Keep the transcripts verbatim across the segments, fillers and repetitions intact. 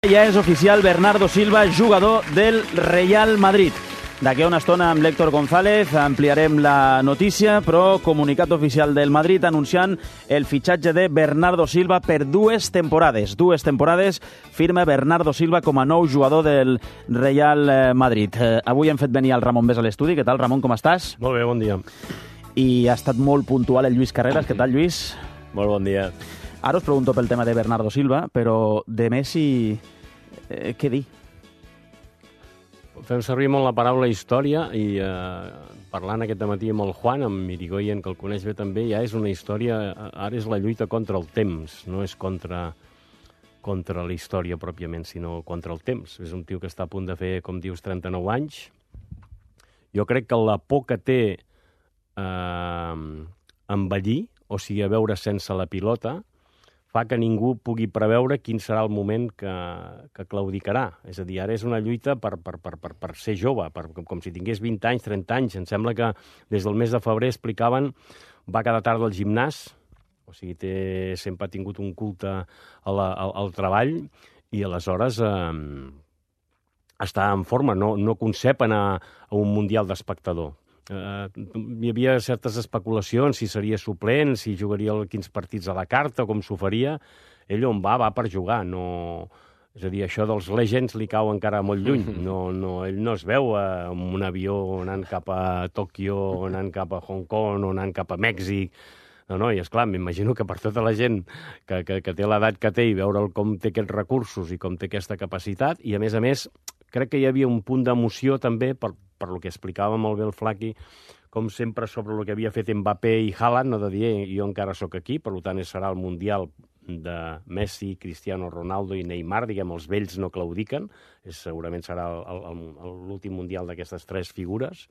Ja és oficial Bernardo Silva, jugador del Real Madrid. D'aquí a una estona amb l'Héctor González ampliarem la notícia, però comunicat oficial del Madrid anunciant el fitxatge de Bernardo Silva per dues temporades. Dues temporades firma Bernardo Silva com a nou jugador del Real Madrid. Eh, avui hem fet venir el Ramon Bés a l'estudi. Què tal, Ramon, com estàs? Molt bé, bon dia. I ha estat molt puntual el Lluís Carreras. Què tal, Lluís? Molt bon dia. Ara us pregunto pel tema de Bernardo Silva, però de Messi, eh, què dir? Fem servir molt la paraula història i eh, parlant aquest matí amb el Juan, amb Irigoyen, que el coneix bé també, ja és una història, ara és la lluita contra el temps, no és contra, contra la història pròpiament, sinó contra el temps. És un tio que està a punt de fer, com dius, trenta-nou anys. Jo crec que la por que té eh, envellir, o sigui, a veure sense la pilota, fa que ningú pugui preveure quin serà el moment que, que claudicarà. És a dir, ara és una lluita per, per, per, per, per ser jove, per, com si tingués vint anys, trenta anys. Em sembla que des del mes de febrer explicaven, va cada tarda al gimnàs, o sigui, té, sempre ha tingut un culte a la, al, al treball, i aleshores eh, està en forma, no, no concep anar a un mundial d'espectador. Uh, hi havia certes especulacions, si seria suplent, si jugaria quins partits a la carta, com s'ho faria. Ell on va, va per jugar. No... És a dir, això dels Legends li cau encara molt lluny. No, no, ell no es veu uh, amb un avió anant cap a Tòquio, anant cap a Hong Kong, o anant cap a Mèxic. No, no, i esclar, m'imagino que per tota la gent que, que, que té l'edat que té i veure com té aquests recursos i com té aquesta capacitat, i a més a més crec que hi havia un punt d'emoció també per, per lo que explicava molt bé el Flaqui, com sempre sobre el que havia fet Mbappé i Haaland, no de dir, jo encara sóc aquí, per tant serà el Mundial de Messi, Cristiano Ronaldo i Neymar, diguem, els vells no claudiquen, és, segurament serà l'últim Mundial d'aquestes tres figures.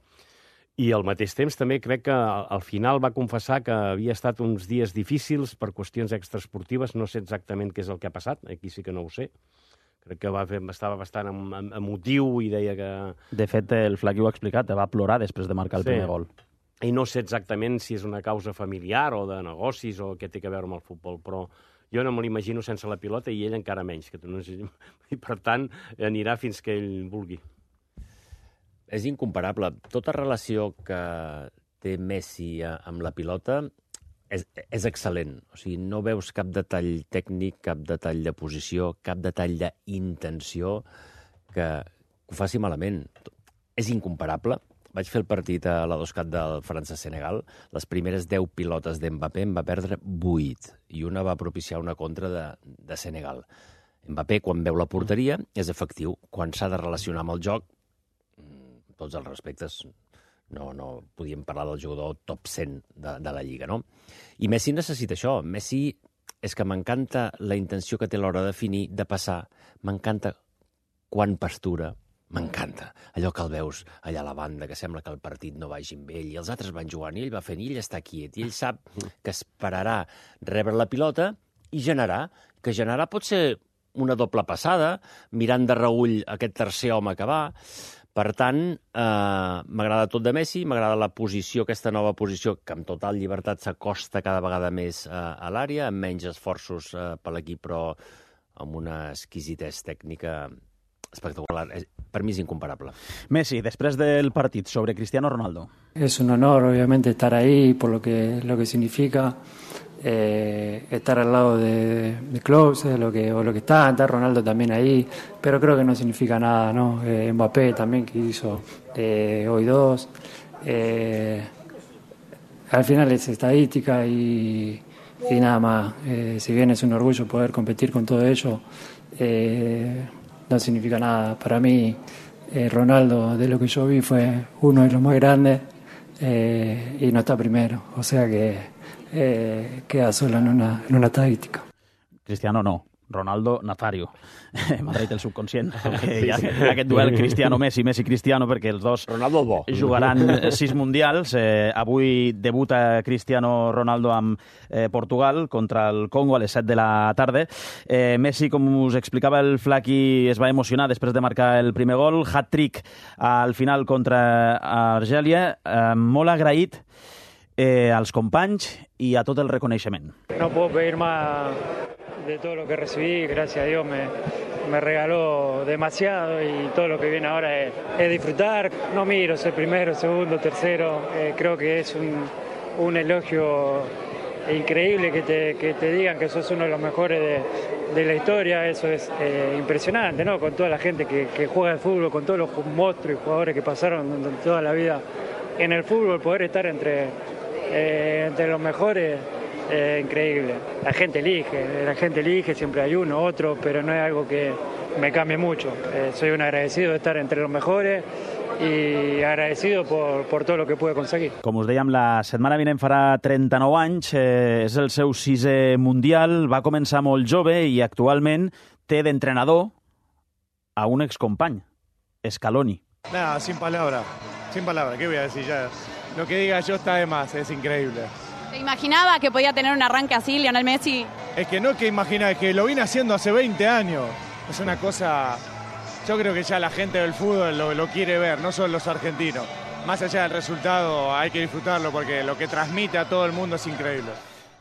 I al mateix temps també crec que al final va confessar que havia estat uns dies difícils per qüestions extraesportives, no sé exactament què és el que ha passat, aquí sí que no ho sé. Crec que va fer, estava bastant em, em, emotiu i deia que... De fet, el Flaqui ho ha explicat, va plorar després de marcar el sí. primer gol. I no sé exactament si és una causa familiar o de negocis o què té a veure amb el futbol, però jo no me l'imagino sense la pilota i ell encara menys. Que no... I per tant, anirà fins que ell vulgui. És incomparable. Tota relació que té Messi amb la pilota és, és excel·lent. O sigui, no veus cap detall tècnic, cap detall de posició, cap detall d'intenció que, que ho faci malament. És incomparable. Vaig fer el partit a la Doscat del França-Senegal. Les primeres deu pilotes d'Mbappé en va perdre vuit i una va propiciar una contra de, de Senegal. Mbappé, quan veu la porteria, és efectiu. Quan s'ha de relacionar amb el joc, tots els respectes, no, no podíem parlar del jugador top cent de, de la Lliga, no? I Messi necessita això. Messi és que m'encanta la intenció que té a l'hora de definir, de passar. M'encanta quan pastura. M'encanta. Allò que el veus allà a la banda, que sembla que el partit no vagi amb ell, i els altres van jugant, i ell va fent, i ell està quiet, i ell sap que esperarà rebre la pilota i generar. Que generar pot ser una doble passada, mirant de reüll aquest tercer home que va. Per tant, eh, m'agrada tot de Messi, m'agrada la posició, aquesta nova posició, que amb total llibertat s'acosta cada vegada més eh, a l'àrea, amb menys esforços eh, per l'equip, però amb una exquisitesa tècnica espectacular. Per mi és incomparable. Messi, després del partit, sobre Cristiano Ronaldo. Es un honor, obviamente, estar ahí por lo que, lo que significa eh, estar al lado de, de Klose, lo que, o lo que está, está Ronaldo también ahí, pero creo que no significa nada, ¿no? Eh, Mbappé también, que hizo eh, hoy dos. Eh, al final es estadística y, y nada más. Eh, si bien es un orgullo poder competir con todo ello, eh, no significa nada. Para mí, eh, Ronaldo, de lo que yo vi, fue uno de los más grandes eh, y no está primero. O sea que eh, queda solo en una, en una estadística. Cristiano no. Ronaldo Nazario. M'ha traït el subconscient. Hi ha aquest duel Cristiano-Messi, Messi-Cristiano, perquè els dos Ronaldo bo. jugaran sis mundials. Eh, avui debuta Cristiano Ronaldo amb eh, Portugal contra el Congo a les set de la tarda. Eh, Messi, com us explicava el Flaqui, es va emocionar després de marcar el primer gol. Hat-trick al final contra Argèlia. Eh, molt agraït eh, als companys i a tot el reconeixement. No puedo pedir más de todo lo que recibí, gracias a Dios me, me regaló demasiado y todo lo que viene ahora es, es disfrutar. No miro ser primero, segundo, tercero, eh, creo que es un, un elogio increíble que te, que te digan que sos uno de los mejores de, de la historia, eso es eh, impresionante, ¿no? Con toda la gente que, que juega al fútbol, con todos los monstruos y jugadores que pasaron toda la vida en el fútbol, poder estar entre, eh, entre los mejores. Eh, increíble. La gente elige, la gente elige, siempre hay uno, otro, pero no es algo que me cambie mucho. Eh, soy un agradecido de estar entre los mejores i agradecido por, por tot el que pude conseguir. Com us dèiem, la setmana vinent farà trenta-nou anys, eh, és el seu sisè mundial, va començar molt jove i actualment té d'entrenador a un excompany, Scaloni. Nada, sin palabra, sin palabra, ¿qué voy a decir ya? Lo que diga yo está de más, es increíble. ¿Te imaginaba que podía tener un arranque así, Lionel Messi? Es que no que imagina, es que lo vine haciendo hace veinte años. Es una cosa, yo creo que ya la gente del fútbol lo, lo quiere ver, no solo los argentinos. Más allá del resultado hay que disfrutarlo porque lo que transmite a todo el mundo es increíble.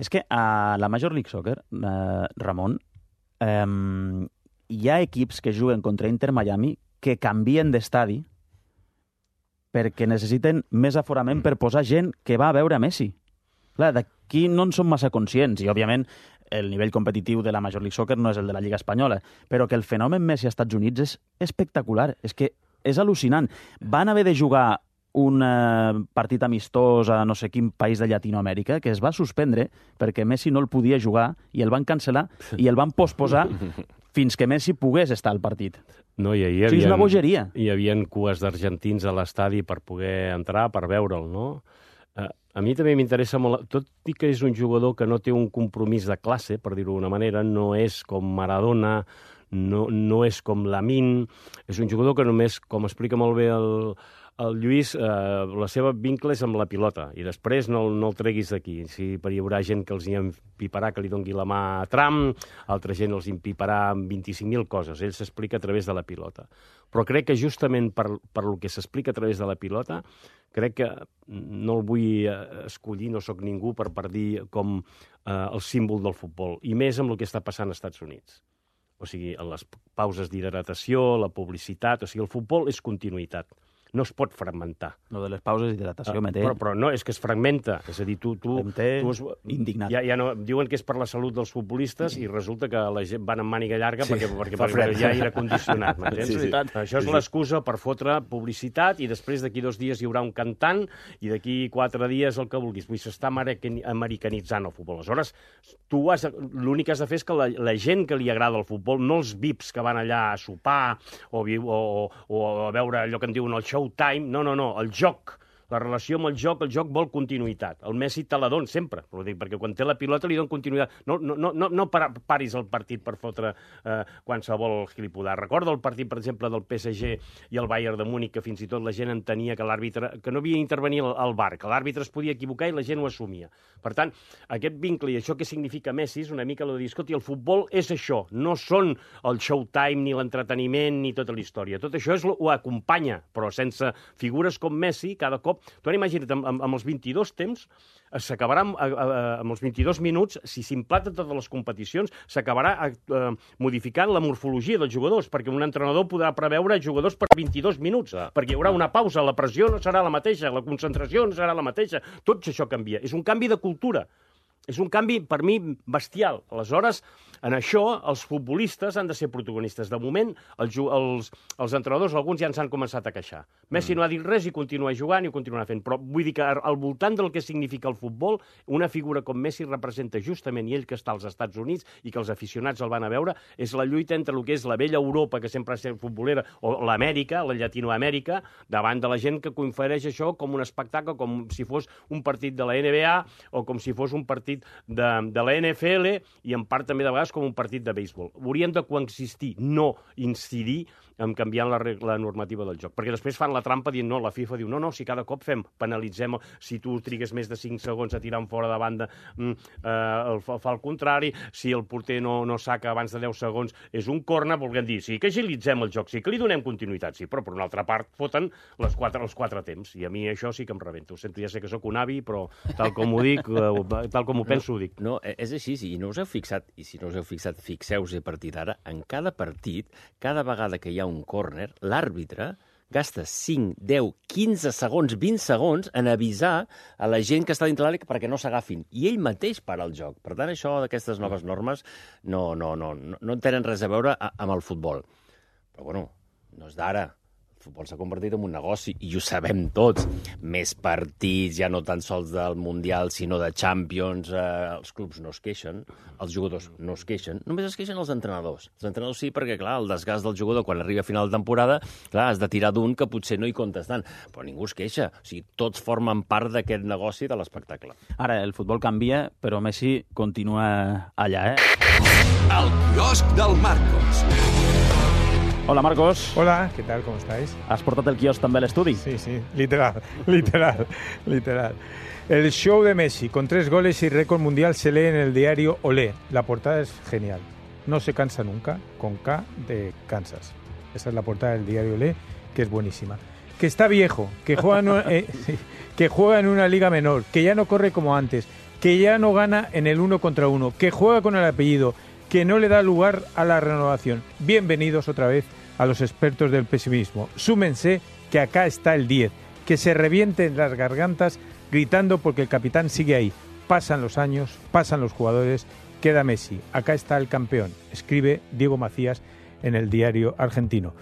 És que a la Major League Soccer, eh, Ramon, eh, hi ha equips que juguen contra Inter Miami que canvien d'estadi perquè necessiten més aforament per posar gent que va a veure Messi. Clar, d'aquí no en som massa conscients i, òbviament, el nivell competitiu de la Major League Soccer no és el de la Lliga Espanyola, però que el fenomen Messi als Estats Units és espectacular, és que és al·lucinant. Van haver de jugar un eh, partit amistós a no sé quin país de Llatinoamèrica que es va suspendre perquè Messi no el podia jugar i el van cancel·lar i el van posposar fins que Messi pogués estar al partit. No, i hi havia, o sigui, és una bogeria. Hi havia cues d'argentins a l'estadi per poder entrar, per veure'l, no? Uh, a mi també m'interessa molt, tot i que és un jugador que no té un compromís de classe, per dir-ho d'una manera, no és com Maradona, no, no és com Lamine, és un jugador que només, com explica molt bé el, el Lluís, eh, la seva vincle és amb la pilota, i després no, no el treguis d'aquí. Si hi haurà gent que els hi empiparà que li doni la mà a Trump, altra gent els empiparà amb vint-i-cinc mil coses, ell s'explica a través de la pilota. Però crec que justament per, per el que s'explica a través de la pilota, crec que no el vull escollir, no sóc ningú per, per dir com eh, el símbol del futbol, i més amb el que està passant als Estats Units. O sigui, les pauses d'hidratació, la publicitat, o sigui, el futbol és continuïtat. No es pot fragmentar. Lo de les pauses d'hidratació, uh, m'he però, però no, és que es fragmenta. És a dir, tu... tu, em té tu es, indignat. Ja, ja no, diuen que és per la salut dels futbolistes i resulta que la gent van amb màniga llarga sí, perquè, perquè, perquè hi ha aire condicionat. Sí, sí. Això és l'excusa per fotre publicitat i després d'aquí dos dies hi haurà un cantant i d'aquí quatre dies el que vulguis. Vull dir, s'està americanitzant el futbol. Aleshores, tu has, l'únic que has de fer és que la, la gent que li agrada el futbol, no els V I Ps que van allà a sopar o, o, o a veure allò que en diuen el show time, no, no, no, el joc, la relació amb el joc, el joc vol continuïtat. El Messi te la don sempre, perquè quan té la pilota li don continuïtat. No, no, no, no paris el partit per fotre eh, qualsevol gilipudar. Recorda el partit, per exemple, del P S G i el Bayern de Múnich, que fins i tot la gent entenia que l'àrbitre, que no havia d'intervenir al V A R, que l'àrbitre es podia equivocar i la gent ho assumia. Per tant, aquest vincle i això que significa Messi és una mica el de dir, escolti, el futbol és això, no són el showtime, ni l'entreteniment, ni tota la història. Tot això és, ho acompanya, però sense figures com Messi, cada cop. Tu ara imagina't, amb, amb els vint-i-dos temps, s'acabarà amb, amb els vint-i-dos minuts, si s'implaten totes les competicions, s'acabarà eh, modificant la morfologia dels jugadors, perquè un entrenador podrà preveure jugadors per vint-i-dos minuts, ah, perquè hi haurà una pausa, la pressió no serà la mateixa, la concentració no serà la mateixa, tot això canvia. És un canvi de cultura. És un canvi, per mi, bestial. Aleshores, en això, els futbolistes han de ser protagonistes. De moment, els, els, els entrenadors, alguns ja ens han començat a queixar. Messi mm. no ha dit res i continua jugant i ho continua fent. Però vull dir que al voltant del que significa el futbol, una figura com Messi representa justament, i ell que està als Estats Units i que els aficionats el van a veure, és la lluita entre el que és la vella Europa, que sempre ha estat futbolera, o l'Amèrica, la Llatinoamèrica, davant de la gent que confereix això com un espectacle, com si fos un partit de la N B A o com si fos un partit De, de la N F L i en part també de vegades com un partit de béisbol. Haurien de coexistir, no incidir en canviant la, la normativa del joc. Perquè després fan la trampa dient, no, la FIFA diu, no, no, si cada cop fem, penalitzem, si tu trigues més de cinc segons a tirar en fora de banda, mm, eh, el, fa el contrari, si el porter no, no saca abans de deu segons, és un corner, volguem dir, sí que agilitzem el joc, sí que li donem continuïtat, sí, però per una altra part foten les quatre, els quatre temps, i a mi això sí que em rebenta. Ho sento, ja sé que sóc un avi, però tal com ho dic, eh, tal com ho m'ho penso, ho dic. No, és així, i no us heu fixat, i si no us heu fixat, fixeu-vos a partir d'ara, en cada partit, cada vegada que hi ha un córner, l'àrbitre gasta cinc, deu, quinze segons, vint segons en avisar a la gent que està dintre l'àrea perquè no s'agafin. I ell mateix para el joc. Per tant, això d'aquestes noves normes no, no, no, no, no tenen res a veure amb el futbol. Però, bueno, no és d'ara. El futbol s'ha convertit en un negoci, i ho sabem tots. Més partits, ja no tan sols del Mundial, sinó de Champions. Eh, els clubs no es queixen, els jugadors no es queixen, només es queixen els entrenadors. Els entrenadors sí, perquè, clar, el desgast del jugador quan arriba a final de temporada, clar, has de tirar d'un que potser no hi comptes tant, però ningú es queixa. O sigui, tots formen part d'aquest negoci de l'espectacle. Ara, el futbol canvia, però Messi continua allà, eh? El quiosc del Marcos. Hola, Marcos. Hola, ¿qué tal? ¿Cómo estáis? ¿Has portat el quiosc també a l'estudi? Sí, sí, literal, literal, literal. El show de Messi, con tres goles y récord mundial, se lee en el diario Olé. La portada es genial. No se cansa nunca, con K de Kansas. Esa es la portada del diario Olé, que es buenísima. Que está viejo, que juega en una, eh, sí, que juega en una liga menor, que ya no corre como antes, que ya no gana en el uno contra uno, que juega con el apellido, que no le da lugar a la renovación. Bienvenidos otra vez a los expertos del pesimismo. Súmense que acá está el diez, que se revienten las gargantas gritando porque el capitán sigue ahí. Pasan los años, pasan los jugadores, queda Messi. Acá está el campeón, escribe Diego Macías en el diario argentino.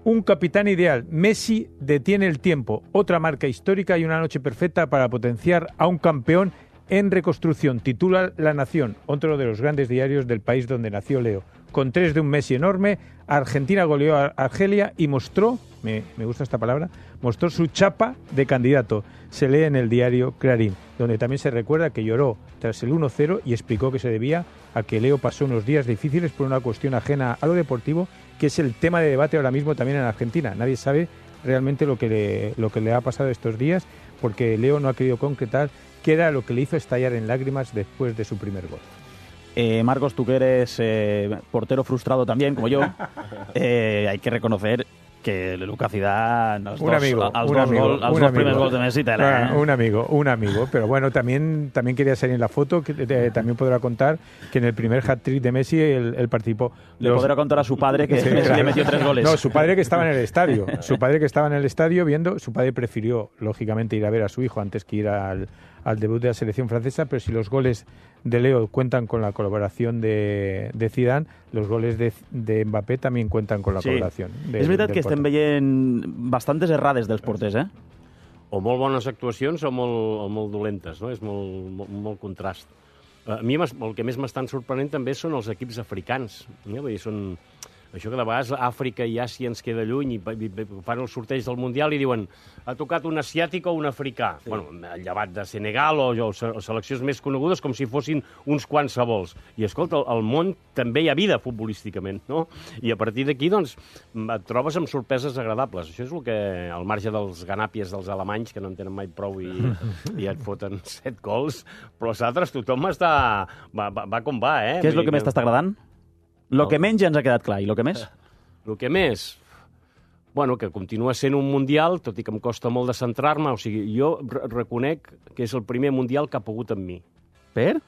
Un capitán ideal. Messi detiene el tiempo. Otra marca histórica y una noche perfecta para potenciar a un campeón en reconstrucción, titula La Nación, otro de los grandes diarios del país donde nació Leo. Con tres de un Messi enorme, Argentina goleó a Argelia y mostró, me, me gusta esta palabra, mostró su chapa de candidato. Se lee en el diario Clarín, donde también se recuerda que lloró tras el uno cero y explicó que se debía a que Leo pasó unos días difíciles por una cuestión ajena a lo deportivo, que es el tema de debate ahora mismo también en Argentina. Nadie sabe realmente lo que le, lo que le ha pasado estos días, porque Leo no ha querido concretar qué era lo que le hizo estallar en lágrimas después de su primer gol. Eh, Marcos, tú que eres eh, portero frustrado también, como yo, eh, hay que reconocer que Luca Zidane, els un dos, amigo, els un dos, amigo, gol, els un dos amigo. primers gols de Messi, tela, ah, eh? Un amigo, un amigo. Pero bueno, también, también quería salir en la foto, que eh, también podrá contar que en el primer hat-trick de Messi él, él participó. Le los... podrá contar a su padre que sí, Messi claro. le metió tres goles. No, su padre que estaba en el estadio. Su padre que estaba en el estadio viendo, su padre prefirió, lógicamente, ir a ver a su hijo antes que ir al, al debut de la selección francesa, pero si los goles de Leo cuentan con la colaboración de, de Zidane, los goles de, de Mbappé también cuentan con la sí. colaboración. De, és veritat que estem veient bastantes errades dels porters, eh? O molt bones actuacions o molt, o molt dolentes, no? És molt, molt, molt contrast. A mi el que més m'estan sorprenent també són els equips africans. Eh? Vull dir, són... Això que de vegades Àfrica i Àsia ens queda lluny i fan el sorteig del Mundial i diuen ha tocat un asiàtic o un africà. Sí. Bueno, llevat de Senegal o, o seleccions més conegudes com si fossin uns qualsevols. I, escolta, al món també hi ha vida futbolísticament, no? I a partir d'aquí, doncs, et trobes amb sorpreses agradables. Això és el que, al marge dels ganàpies dels alemanys, que no en tenen mai prou i, i et foten set gols, però els altres tothom està... Va, va, va com va, eh? Què és el que més t'està agradant? Lo que menys ja ens ha quedat clar. I lo que més? Lo que més? Bueno, que continua sent un Mundial, tot i que em costa molt de centrar-me. O sigui, jo reconec que és el primer Mundial que ha pogut amb mi. Per?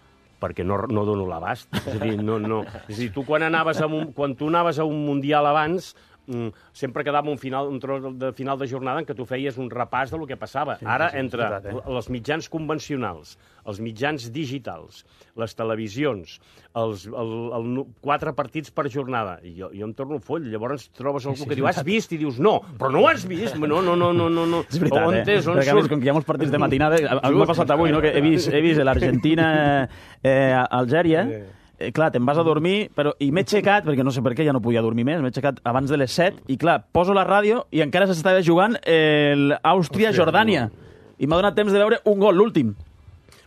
Perquè no, no dono l'abast. És a dir, no, no. És a dir, tu quan, anaves a un, quan tu anaves a un Mundial abans... Mm, sempre quedava un, final, un tros de final de jornada en què tu feies un repàs del que passava. Sí, Ara, sí, entre veritat, eh? els mitjans convencionals, els mitjans digitals, les televisions, els el, el, quatre partits per jornada, i jo, jo em torno foll, llavors trobes algú sí, que diu, has vist? I dius, no, però no ho has vist? No, no, no, no, no. És veritat, on eh? És, on Perquè, a més, com que hi ha molts partits de matinada, a mi m'ha passat avui, no? Que he vist, he vist l'Argentina eh, Algèria, Eh, clar, te'n vas a dormir, però i m'he aixecat, perquè no sé per què ja no podia dormir més, m'he aixecat abans de les set, i clar, poso la ràdio i encara s'estava jugant l'Àustria-Jordània. I m'ha donat temps de veure un gol, l'últim.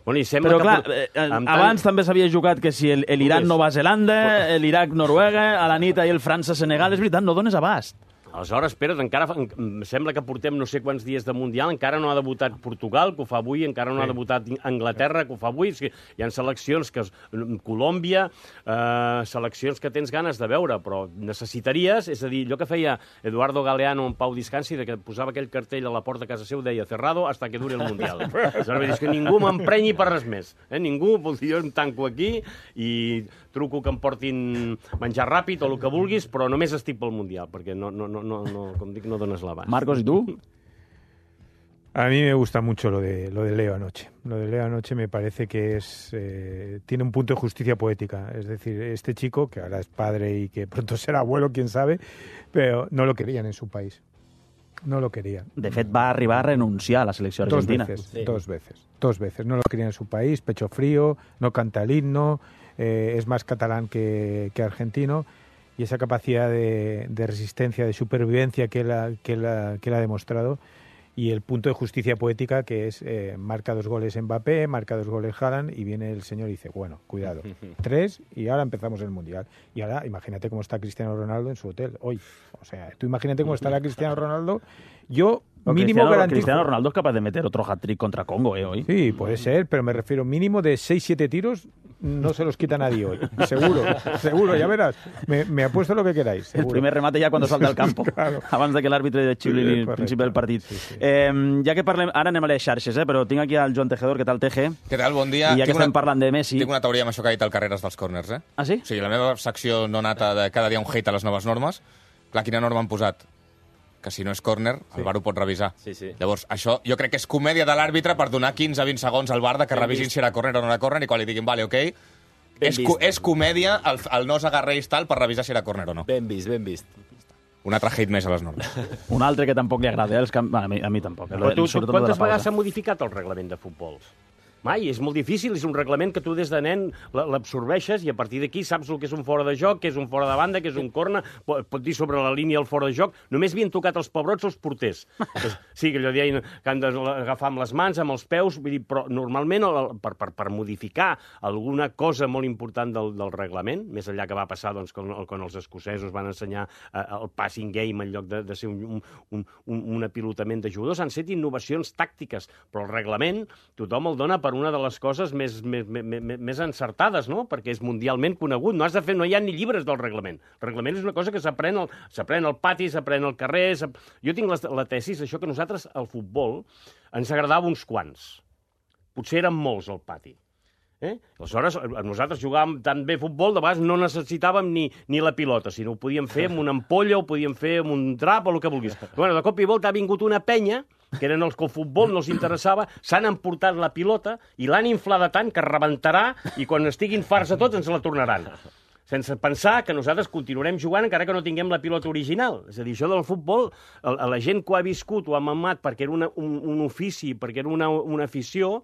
Bueno, i sembla però que... clar, eh, abans també s'havia jugat que si l'Iran-Nova Zelanda, l'Iraq-Noruega, a la nit ahir el França-Senegal, és veritat, no dones abast. Aleshores, espera't, encara em sembla que portem no sé quants dies de Mundial, encara no ha debutat Portugal, que ho fa avui, encara no sí. ha debutat Anglaterra, que ho fa avui. O sigui, hi ha seleccions que... Colòmbia, eh, seleccions que tens ganes de veure, però necessitaries, és a dir, allò que feia Eduardo Galeano en Pau Discansi, de que posava aquell cartell a la porta de casa seu, deia cerrado hasta que dure el Mundial. Aleshores, és que ningú m'emprenyi per res més. Eh? Ningú, jo em tanco aquí i truco que em portin menjar ràpid o el que vulguis, però només estic pel Mundial, perquè no, no, no, no, no, com dic, no dones l'abast. Marcos, ¿y tú? A mí me gusta mucho lo de, lo de Leo anoche. Lo de Leo anoche me parece que es eh, tiene un punto de justicia poética. Es decir, este chico, que ahora es padre y que pronto será abuelo, quién sabe, pero no lo querían en su país. No lo querían. De fet, va arribar a renunciar a la selecció argentina. Dos veces, sí. dos veces, dos veces. No lo querían en su país, pecho frío, no canta el himno, eh, es más catalán que, que argentino, y esa capacidad de, de resistencia, de supervivencia que él ha, que él ha, que él ha demostrado, y el punto de justicia poética que es eh, marca dos goles Mbappé, marca dos goles Haaland, y viene el señor y dice, bueno, cuidado, tres y ahora empezamos el Mundial. Y ahora imagínate cómo está Cristiano Ronaldo en su hotel hoy. O sea, tú imagínate cómo estará Cristiano Ronaldo. Yo Pero mínimo Cristiano, garantizo... Cristiano Ronaldo es capaz de meter otro hat-trick contra Congo, ¿eh? Hoy. Sí, puede ser, pero me refiero mínimo de seis siete tiros no se los quita nadie hoy. Seguro, seguro, ya verás. Me, me apuesto lo que queráis. Seguro. El primer remate ja quan salta al campo, claro. abans de que l'àrbitre de Xibli al principi del partit. Sí, sí. Eh, ja que parlem, ara anem a les xarxes, eh, però tinc aquí el Joan Tejedor. Què tal, Teje? Què tal? Bon dia. I ja que tinc estem una, parlant de Messi... Tinc una teoria amb això que ha dit el Carreras dels córners, eh? Ah, sí? O sigui, la meva secció no nata de cada dia un hate a les noves normes, clar, quina norma han posat? Que si no és córner, sí. El V A R ho pot revisar. Sí, sí. Llavors, això jo crec que és comèdia de l'àrbitre per donar quinze a vint segons al V A R de que ben revisin vist. Si era córner o no era córner, i quan li diguin, vale, ok, és, co és comèdia el, el no s'agarreix tal per revisar si era córner o no. Ben vist, ben vist. Un altre hate més a les normes. Un altre que tampoc li agrada, eh? Els camp... bueno, a, mi, a mi tampoc. Però tu, tu quantes vegades s'ha modificat el reglament de futbol? Mai, és molt difícil, és un reglament que tu des de nen l'absorbeixes i a partir d'aquí saps el que és un fora de joc, que és un fora de banda, que és un corna, pot, pot dir sobre la línia el fora de joc. Només havien tocat els pebrots els porters. Sí, que allò deien que han d'agafar amb les mans, amb els peus, vull dir, però normalment el, per, per, per modificar alguna cosa molt important del, del reglament, més enllà que va passar doncs, quan, quan els escocesos van ensenyar eh, el passing game en lloc de, de ser un, un, un, un apilotament de jugadors, han set innovacions tàctiques, però el reglament tothom el dona per una de les coses més, més, més, més encertades, no? Perquè és mundialment conegut. No has de fer, no hi ha ni llibres del reglament. El reglament és una cosa que s'aprèn al, s'aprèn al pati, s'aprèn al carrer... Jo tinc la, la tesis, això que nosaltres, al futbol, ens agradava uns quants. Potser eren molts al pati. Eh? Aleshores, nosaltres jugàvem tan bé futbol, de vegades no necessitàvem ni, ni la pilota, sinó ho podíem fer amb una ampolla, ho podíem fer amb un drap o el que vulguis. Bueno, de cop i volta ha vingut una penya, que eren els que el futbol no els interessava, s'han emportat la pilota i l'han inflada tant que rebentarà i quan estiguin farts a tots ens la tornaran. Sense pensar que nosaltres continuarem jugant encara que no tinguem la pilota original. És a dir, això del futbol, a la gent que ho ha viscut, ho ha mamat perquè era una, un, un ofici, perquè era una, una afició,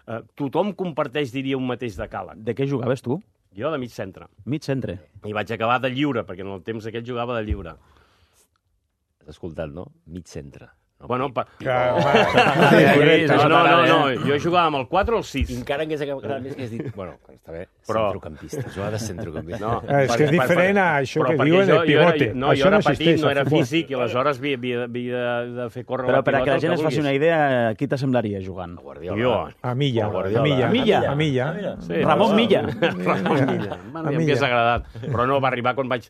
eh, tothom comparteix, diria, un mateix decàleg. De què jugaves tu? Jo de mig centre. Mig centre. I vaig acabar de lliure, perquè en el temps aquest jugava de lliure. Has escoltat, no? Mig centre. No, bueno, pa... Claro, no, no, no, no, jo jugava amb el quatre o el sis. I encara que acabat més que has dit... Bueno, està bé, però... centrocampista, jugava de centrocampista. No, és que és diferent a això que diuen el pivote. No, jo era petit, no era físic, i aleshores havia de fer córrer la pilota. Però per a que la gent es faci una idea, qui t'assemblaria jugant? Jo. A Milla. A Milla. A Milla. Ramon Milla. Ramon Milla. M'hagués agradat. Però no, va arribar quan vaig...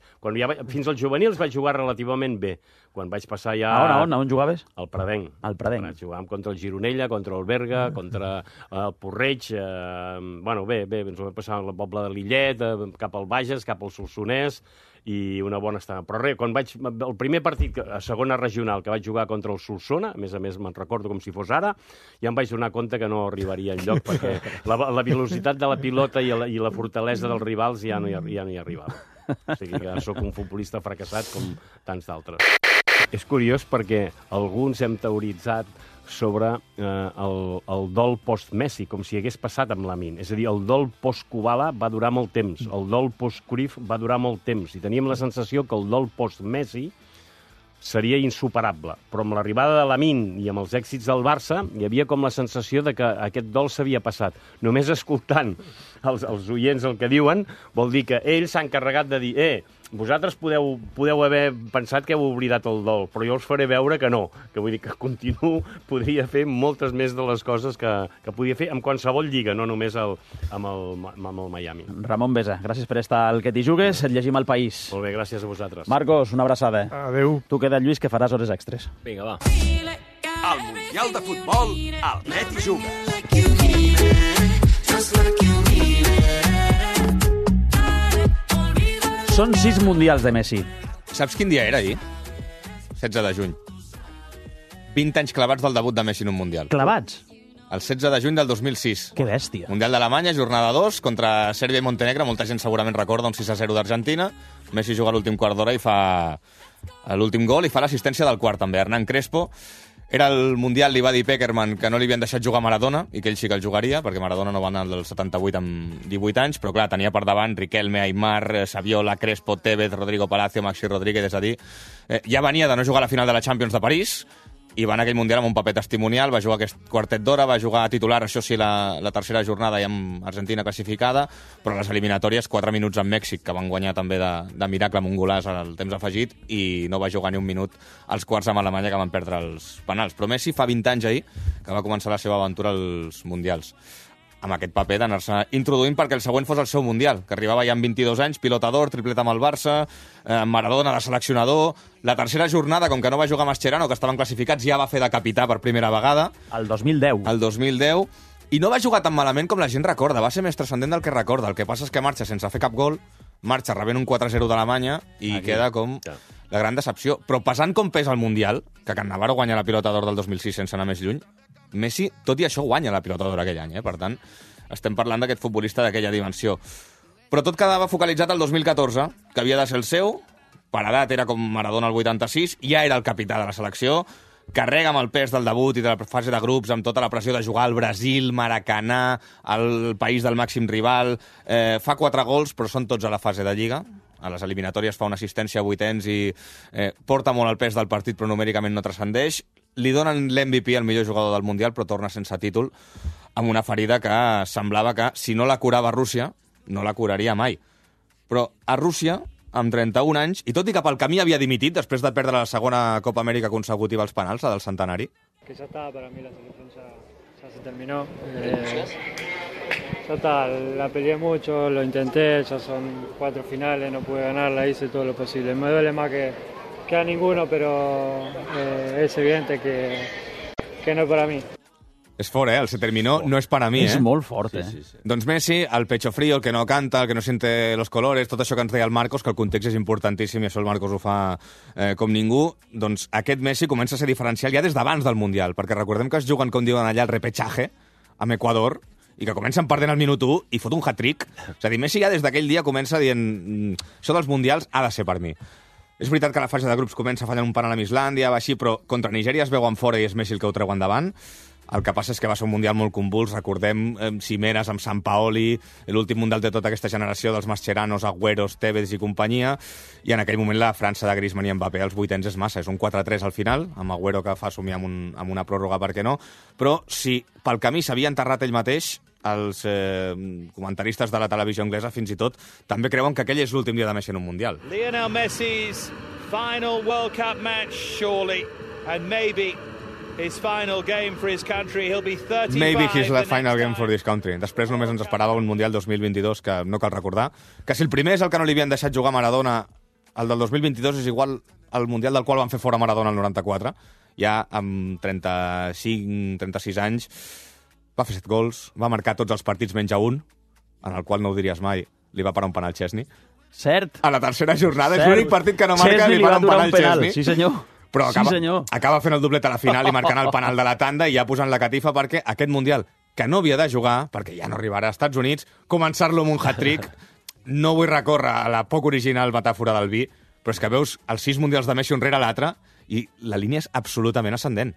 Fins als juvenils vaig jugar relativament bé. Quan vaig passar ja... A on, on jugaves? Al Pradenc. Al Pradenc. Jugàvem contra el Gironella, contra el Berga, contra el Porreig... Eh, bueno, bé, bé, ens ho vam passar al poble de Lillet, eh, cap al Bages, cap al Solsonès, i una bona estada. Però res, quan vaig... El primer partit, a segona regional, que vaig jugar contra el Solsona, a més a més me'n recordo com si fos ara, ja em vaig donar compte que no arribaria enlloc, perquè la, la velocitat de la pilota i la, i la fortalesa dels rivals ja no hi, ja no hi arribava. O sigui que sóc un futbolista fracassat com tants d'altres. És curiós perquè alguns hem teoritzat sobre eh, el, el dol post-Messi, com si hagués passat amb Lamine. És a dir, el dol post-Kubala va durar molt temps, el dol post-Cruyff va durar molt temps, i teníem la sensació que el dol post-Messi seria insuperable. Però amb l'arribada de Lamine i amb els èxits del Barça hi havia com la sensació de que aquest dol s'havia passat. Només escoltant els, els oients el que diuen vol dir que ells s'han encarregat de dir eh, vosaltres podeu, podeu haver pensat que heu oblidat el dol, però jo us faré veure que no, que vull dir que continuo, podria fer moltes més de les coses que, que podia fer amb qualsevol lliga, no només el, amb, el, amb el Miami. Ramon Besa, gràcies per estar al que t'hi jugues, et llegim al País. Molt bé, gràcies a vosaltres. Marcos, una abraçada. Adéu. Tu queda, Lluís, que faràs hores extres. Vinga, va. Al Mundial de Futbol, al Net hi juga. Són sis mundials de Messi. Saps quin dia era ahir? setze de juny. vint anys clavats del debut de Messi en un mundial. Clavats? El setze de juny del dos mil sis. Que bèstia. Mundial d'Alemanya, jornada dos, contra Sèrbia i Montenegro. Molta gent segurament recorda un sis a zero d'Argentina. Messi juga l'últim quart d'hora i fa l'últim gol i fa l'assistència del quart també. Hernán Crespo. Era el Mundial, li va dir Peckerman que no li havien deixat jugar Maradona i que ell sí que el jugaria, perquè Maradona no va anar del setanta-vuit amb divuit anys, però clar, tenia per davant Riquelme, Aimar, Saviola, Crespo, Tevez, Rodrigo Palacio, Maxi Rodríguez, és a dir, eh, ja venia de no jugar a la final de la Champions de París, i va anar aquell Mundial amb un paper testimonial, va jugar aquest quartet d'hora, va jugar a titular, això sí, la, la tercera jornada i amb Argentina classificada, però les eliminatòries, quatre minuts amb Mèxic, que van guanyar també de, de miracle amb un golàs al temps afegit, i no va jugar ni un minut als quarts amb Alemanya, que van perdre els penals. Però Messi fa vint anys ahir que va començar la seva aventura als Mundials, amb aquest paper d'anar-se introduint perquè el següent fos el seu Mundial, que arribava ja amb vint-i-dos anys, pilota d'or, triplet amb el Barça, eh, Maradona de seleccionador. La tercera jornada, com que no va jugar Mascherano, que estaven classificats, ja va fer de capità per primera vegada. El dos mil deu. El dos mil deu. I no va jugar tan malament com la gent recorda, va ser més transcendent del que recorda. El que passa és que marxa sense fer cap gol, marxa rebent un quatre a zero d'Alemanya i Aquí. queda com la gran decepció. Però pesant com pesa el Mundial, que Can Navarro guanya la pilota d'or del dos mil sis sense anar més lluny, Messi, tot i això, guanya la pilota d'or aquell any, eh? Per tant, estem parlant d'aquest futbolista d'aquella dimensió. Però tot quedava focalitzat al dos mil catorze, que havia de ser el seu, per edat era com Maradona al vuitanta-sis, ja era el capità de la selecció, carrega amb el pes del debut i de la fase de grups, amb tota la pressió de jugar al Brasil, Maracanà, el país del màxim rival, eh, fa quatre gols, però són tots a la fase de Lliga. A les eliminatòries fa una assistència a vuitens i eh, porta molt el pes del partit, però numèricament no transcendeix. Li donen l'M V P al millor jugador del Mundial, però torna sense títol, amb una ferida que semblava que, si no la curava Rússia, no la curaria mai. Però a Rússia, amb trenta-un anys, i tot i que pel camí havia dimitit després de perdre la segona Copa Amèrica consecutiva als penals, la del centenari. Que ya está, para mí la selección ya, ya se terminó. Eh, ya está, la peleé mucho, lo intenté, ya son cuatro finales, no pude ganarla, hice todo lo posible. Me duele más que, que a ninguno, pero eh, es evidente que, que no es para mí. És fort, eh? El se terminó, no és per a mi, eh? És molt fort, eh? Sí, sí, sí. Doncs Messi, el pecho frío, el que no canta, el que no siente los colores, tot això que ens deia el Marcos, que el context és importantíssim i això el Marcos ho fa eh, com ningú, doncs aquest Messi comença a ser diferencial ja des d'abans del Mundial, perquè recordem que es juguen, com diuen allà, el repechaje, amb Equador, i que comencen perdent el minut u i fot un hat-trick. És a dir, Messi ja des d'aquell dia comença dient això dels Mundials ha de ser per mi. És veritat que la fase de grups comença fallant un penal amb Islàndia, va així, però contra Nigèria es veuen fora i és Messi el que ho treu endavant. El que passa és que va ser un Mundial molt convuls, recordem eh, cimeres amb Sampaoli, l'últim Mundial de tota aquesta generació dels Mascheranos, Agüeros, Tevez i companyia, i en aquell moment la França de Griezmann i Mbappé als vuitens és massa, és un quatre a tres al final, amb Agüero que fa somiar amb, un, amb una pròrroga, per què no, però si pel camí s'havia enterrat ell mateix, els eh, comentaristes de la televisió anglesa fins i tot també creuen que aquell és l'últim dia de Messi en un Mundial. Lionel Messi's final World Cup match, surely, and maybe his final game for his country. He'll be thirty-five. Maybe he's the final game for this country. Després només ens esperava un Mundial dos mil vint-i-dos que no cal recordar. Que si el primer és el que no li havien deixat jugar Maradona, el del dos mil vint-i-dos és igual al Mundial del qual van fer fora Maradona el noranta-quatre. Ja amb trenta-cinc, trenta-sis anys va fer set gols, va marcar tots els partits menys a un, en el qual no ho diries mai, li va parar un penal Chesney. Cert. A la tercera jornada Cert. És l'únic partit que no marca i li para un penal, un penal Chesney. Sí, senyor. Però acaba, sí, senyor. acaba fent el doblet a la final i marcant el penal de la tanda i ja posant la catifa perquè aquest Mundial, que no havia de jugar, perquè ja no arribarà als Estats Units, començar-lo amb un hat-trick. No vull recórrer a la poc original metàfora del vi, però és que veus els sis Mundials de Messi un rere l'altre i la línia és absolutament ascendent.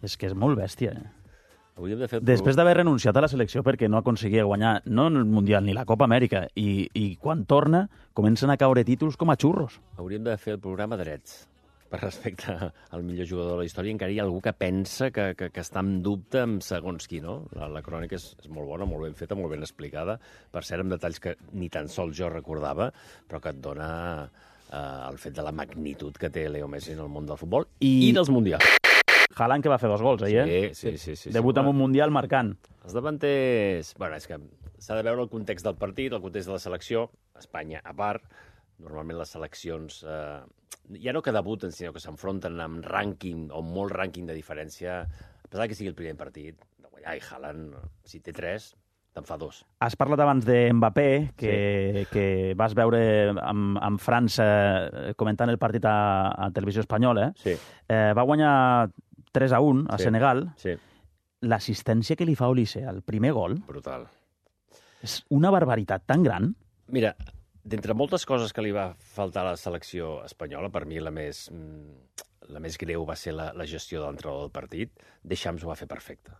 És que és molt bèstia, eh? De fer Després d'haver renunciat a la selecció perquè no aconseguia guanyar no el Mundial ni la Copa Amèrica i, i quan torna comencen a caure títols com a xurros. Hauríem de fer el programa drets. per respecte al millor jugador de la història, encara hi ha algú que pensa que, que, que està en dubte amb segons qui, no? La, la crònica és, és molt bona, molt ben feta, molt ben explicada, per cert, amb detalls que ni tan sols jo recordava, però que et dona eh, el fet de la magnitud que té Leo Messi en el món del futbol i, I dels mundials. Haaland que va fer dos gols, eh? Sí, sí, sí. sí Debuta sí, en un mundial marcant. Els davanters... Bueno, és que s'ha de veure el context del partit, el context de la selecció, Espanya a part. Normalment les seleccions eh, ja no que debuten, sinó que s'enfronten amb rànquing o molt rànquing de diferència, a pesar que sigui el primer partit, de guanyar, i Haaland, si té tres, te'n fa dos. Has parlat abans de Mbappé, que, sí. que vas veure amb, amb França comentant el partit a, a Televisió Espanyola. Sí. Eh, va guanyar tres a un a sí. Senegal. Sí. L'assistència que li fa Olise al primer gol... Brutal. És una barbaritat tan gran. Mira, d'entre moltes coses que li va faltar a la selecció espanyola, per mi la més, la més greu va ser la, la gestió de l'entrenador del partit. Deschamps ho va fer perfecte.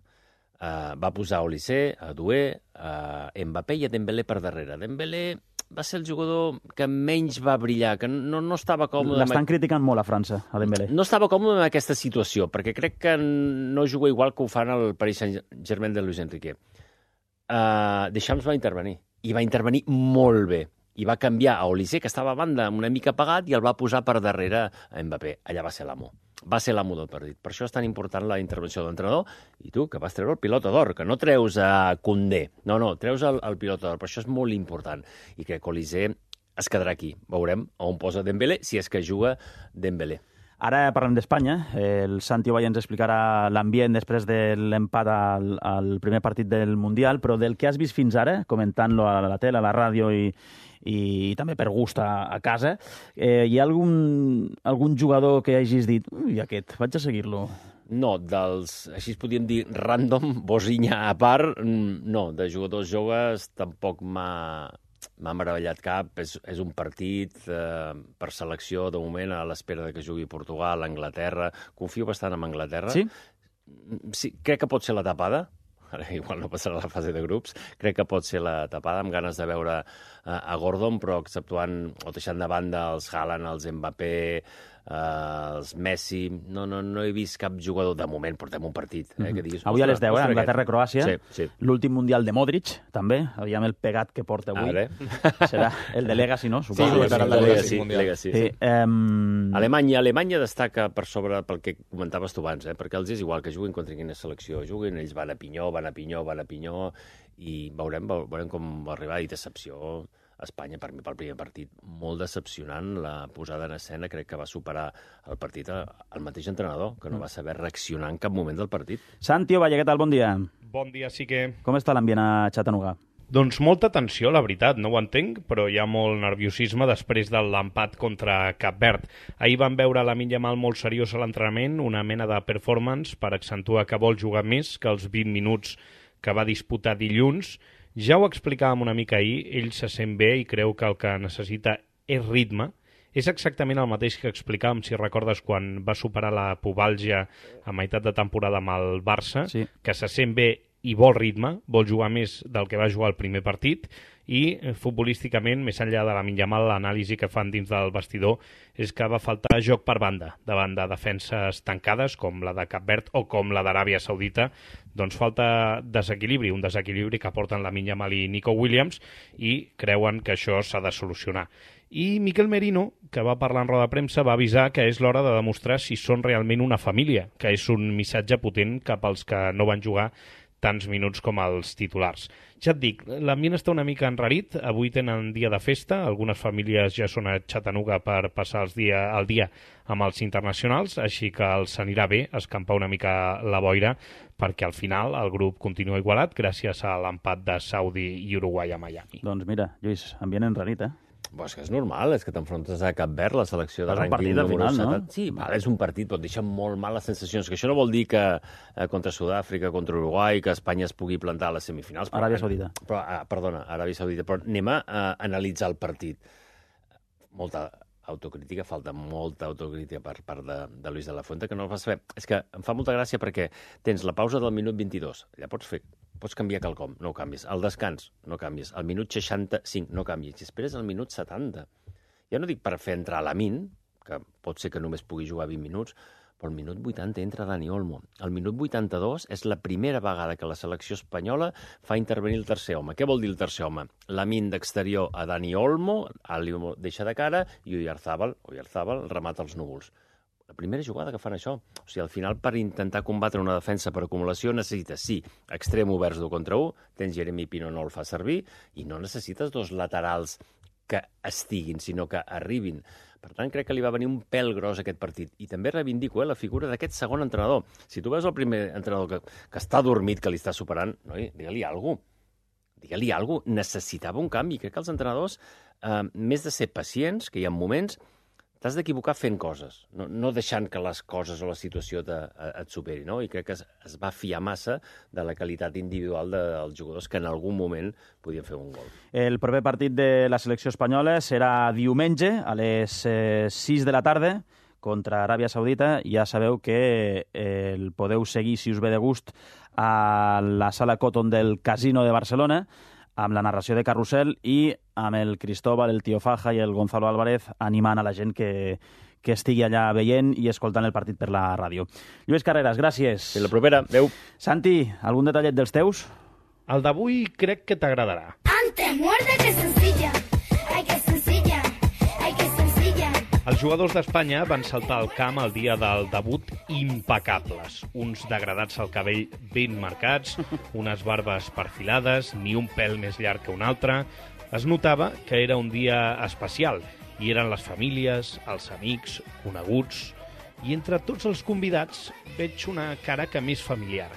Uh, va posar Olise, a Doué, a Mbappé i a Dembélé per darrere. Dembélé va ser el jugador que menys va brillar, que no, no estava còmode... L'estan criticant molt a França, a Dembélé. No estava còmode en aquesta situació, perquè crec que no juga igual que ho fan al Paris Saint-Germain de Luis Enrique. Uh, Deschamps va intervenir, i va intervenir molt bé. I va canviar a Olise, que estava a banda una mica apagat, i el va posar per darrere a Mbappé. Allà va ser l'amo. Va ser l'amo del partit. Per això és tan important la intervenció de l'entrenador. I tu, que vas treure el pilota d'or, que no treus a Koundé. No, no, treus el, el pilota d'or. Per això és molt important. I crec que Olise es quedarà aquí. Veurem on posa Dembélé, si és que juga Dembélé. Ara parlem d'Espanya. El Santi Ovalla ens explicarà l'ambient després de l'empat al, al primer partit del Mundial, però del que has vist fins ara, comentant-lo a la tele, a la ràdio i, i també per gust a, a casa, eh, hi ha algun, algun jugador que hagis dit ui, aquest, vaig a seguir-lo? No, dels, així es podríem dir, random, Bosinha a part, no, de jugadors joves tampoc m'ha... m'ha meravellat cap. És, és un partit eh, per selecció, de moment, a l'espera de que jugui Portugal, Anglaterra. Confio bastant en Anglaterra. Sí? Sí, crec que pot ser la tapada. Ara igual no passarà la fase de grups. Crec que pot ser la tapada, amb ganes de veure eh, a Gordon, però exceptuant o deixant de banda els Haaland, els Mbappé, Uh, els Messi, no, no, no he vist cap jugador, de moment portem un partit. Eh, que diguis, avui a les deu, eh, Anglaterra-Croàcia, sí, sí. L'últim Mundial de Modric, també, aviam el pegat que porta avui. Ara. Serà el de Legacy, no? Suposo. Sí, sí, el de Legacy. Legacy, sí. Sí, um... Alemanya, Alemanya destaca per sobre pel que comentaves tu abans, eh, perquè els és igual que juguin contra quina selecció juguin, ells van a pinyó, van a pinyó, van a pinyó, i veurem, veurem com va arribar, i decepció. Espanya, per mi, pel primer partit, molt decepcionant. La posada en escena crec que va superar el partit al mateix entrenador, que no va saber reaccionar en cap moment del partit. Santi Ovalla, què tal? Bon dia. Bon dia, sí que... Com està l'ambient a Chattanooga? Doncs molta tensió, la veritat, no ho entenc, però hi ha molt nerviosisme després de l'empat contra Cap Verd. Ahir vam veure Lamine Yamal molt seriós a l'entrenament, una mena de performance per accentuar que vol jugar més que els vint minuts que va disputar dilluns. Ja ho explicàvem una mica ahir, ell se sent bé i creu que el que necessita és ritme. És exactament el mateix que explicàvem, si recordes, quan va superar la pubalgia a meitat de temporada amb el Barça, sí. Que se sent bé i vol ritme, vol jugar més del que va jugar el primer partit, i futbolísticament, més enllà de Lamine Yamal, l'anàlisi que fan dins del vestidor és que va faltar joc per banda, davant de defenses tancades, com la de Cap Verd o com la d'Aràbia Saudita. Doncs falta desequilibri, un desequilibri que porten Lamine Yamal i Nico Williams, i creuen que això s'ha de solucionar. I Mikel Merino, que va parlar en roda de premsa, va avisar que és l'hora de demostrar si són realment una família, que és un missatge potent cap als que no van jugar tants minuts com els titulars. Ja et dic, l'ambient està una mica enrarit, avui tenen dia de festa, algunes famílies ja són a Chattanooga per passar els dia, el dia amb els internacionals, així que els anirà bé escampar una mica la boira, perquè al final el grup continua igualat gràcies a l'empat de Saudi i Uruguai a Miami. Doncs mira, Lluís, ambient enrarit, eh? Pues és que és normal, és que t'enfrontes a Cap Verd, la selecció de rànquing número final, no? Sí, val, és un partit, però et deixa molt mal les sensacions, que això no vol dir que eh, contra Sud-àfrica, contra Uruguai, que Espanya es pugui plantar a les semifinals. Però, Aràbia Saudita. Però, ah, perdona, Aràbia Saudita, però anem a eh, analitzar el partit. Molta autocrítica, falta molta autocrítica per part de, de Luis de la Fuente, que no el fas fer. És que em fa molta gràcia perquè tens la pausa del minut vint-i-dos, allà pots fer, pots canviar quelcom, no ho canvis. El descans, no canvies. El minut seixanta-cinc, no canvies. I esperes el minut setanta. Ja no dic per fer entrar Lamine, que pot ser que només pugui jugar vint minuts, però al minut vuitanta entra Dani Olmo. Al minut vuitanta-dos és la primera vegada que la selecció espanyola fa intervenir el tercer home. Què vol dir el tercer home? Lamin d'exterior a Dani Olmo, Ali deixa de cara i Oyarzábal, Oyarzábal remata els núvols. La primera jugada que fan això. O sigui, al final, per intentar combatre una defensa per acumulació, necessites, sí, extrem oberts d'un contra un, tens Jeremy Pino, no el fa servir, i no necessites dos laterals que estiguin, sinó que arribin. Per tant, crec que li va venir un pèl gros aquest partit. I també reivindico eh, la figura d'aquest segon entrenador. Si tu veus el primer entrenador que, que està dormit, que li està superant, noi, digue-li alguna cosa. Digue-li alguna cosa. Necessitava un canvi. Crec que els entrenadors, eh, més de ser pacients, que hi ha moments, t'has d'equivocar fent coses, no, no deixant que les coses o la situació te, et superi, no? I crec que es, es va fiar massa de la qualitat individual dels jugadors que en algun moment podien fer un gol. El proper partit de la selecció espanyola serà diumenge a les eh, sis de la tarda contra Aràbia Saudita. Ja sabeu que eh, el podeu seguir, si us ve de gust, a la sala Cotton del Casino de Barcelona, amb la narració de Carrusel i amb el Cristóbal, el Tío Faja i el Gonzalo Álvarez animant a la gent que, que estigui allà veient i escoltant el partit per la ràdio. Lluís Carreras, gràcies. Fins la propera. Adéu. Santi, algun detallet dels teus? El d'avui crec que t'agradarà. Antes muerde que sencilla. Ai, que sencilla. Ai, que sencilla. Els jugadors d'Espanya van saltar al camp el dia del debut impecables. Uns degradats al cabell ben marcats, unes barbes perfilades, ni un pèl més llarg que un altre. Es notava que era un dia especial. Hi eren les famílies, els amics, coneguts. I entre tots els convidats veig una cara que més familiar.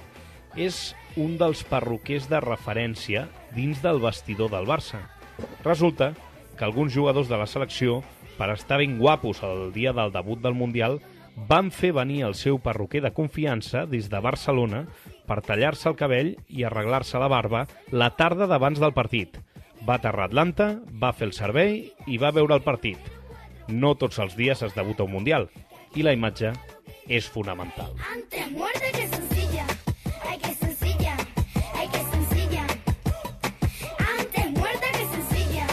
És un dels perruquers de referència dins del vestidor del Barça. Resulta que alguns jugadors de la selecció, per estar ben guapos el dia del debut del Mundial, van fer venir el seu perruquer de confiança des de Barcelona per tallar-se el cabell i arreglar-se la barba la tarda d'abans del partit. Va aterrar a Atlanta, va fer el servei i va veure el partit. No tots els dies es debuta un Mundial, i la imatge és fonamental. Antes muerde que sencilla. Ay, que sencilla. Ay, que sencilla. Antes muerde que sencilla.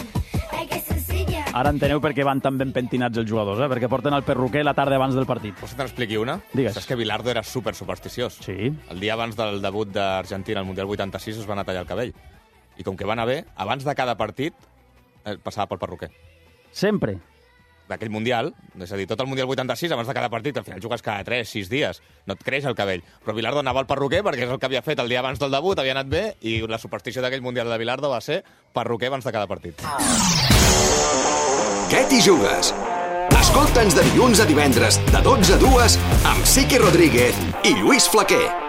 Ay, que sencilla. Ara enteneu per què van tan ben pentinats els jugadors, eh? Perquè porten el perruquer la tarda abans del partit. Vols que te n'expliqui una? Digues. Saps que Bilardo era super supersticiós? Sí. El dia abans del debut d'Argentina al Mundial vuitanta-sis es van a tallar el cabell. I com que va anar bé, abans de cada partit eh, passava pel perruquer. Sempre? D'aquell Mundial, és a dir, tot el Mundial vuitanta-sis, abans de cada partit, al final jugues cada tres, sis dies, no et creix el cabell. Però Bilardo anava al perruquer perquè és el que havia fet el dia abans del debut, havia anat bé, i la superstició d'aquell Mundial de Bilardo va ser perruquer abans de cada partit. Què t'hi jugues? Escolta'ns de dilluns a divendres, de dotze a dues, amb Siqui Rodríguez i Lluís Flaquer.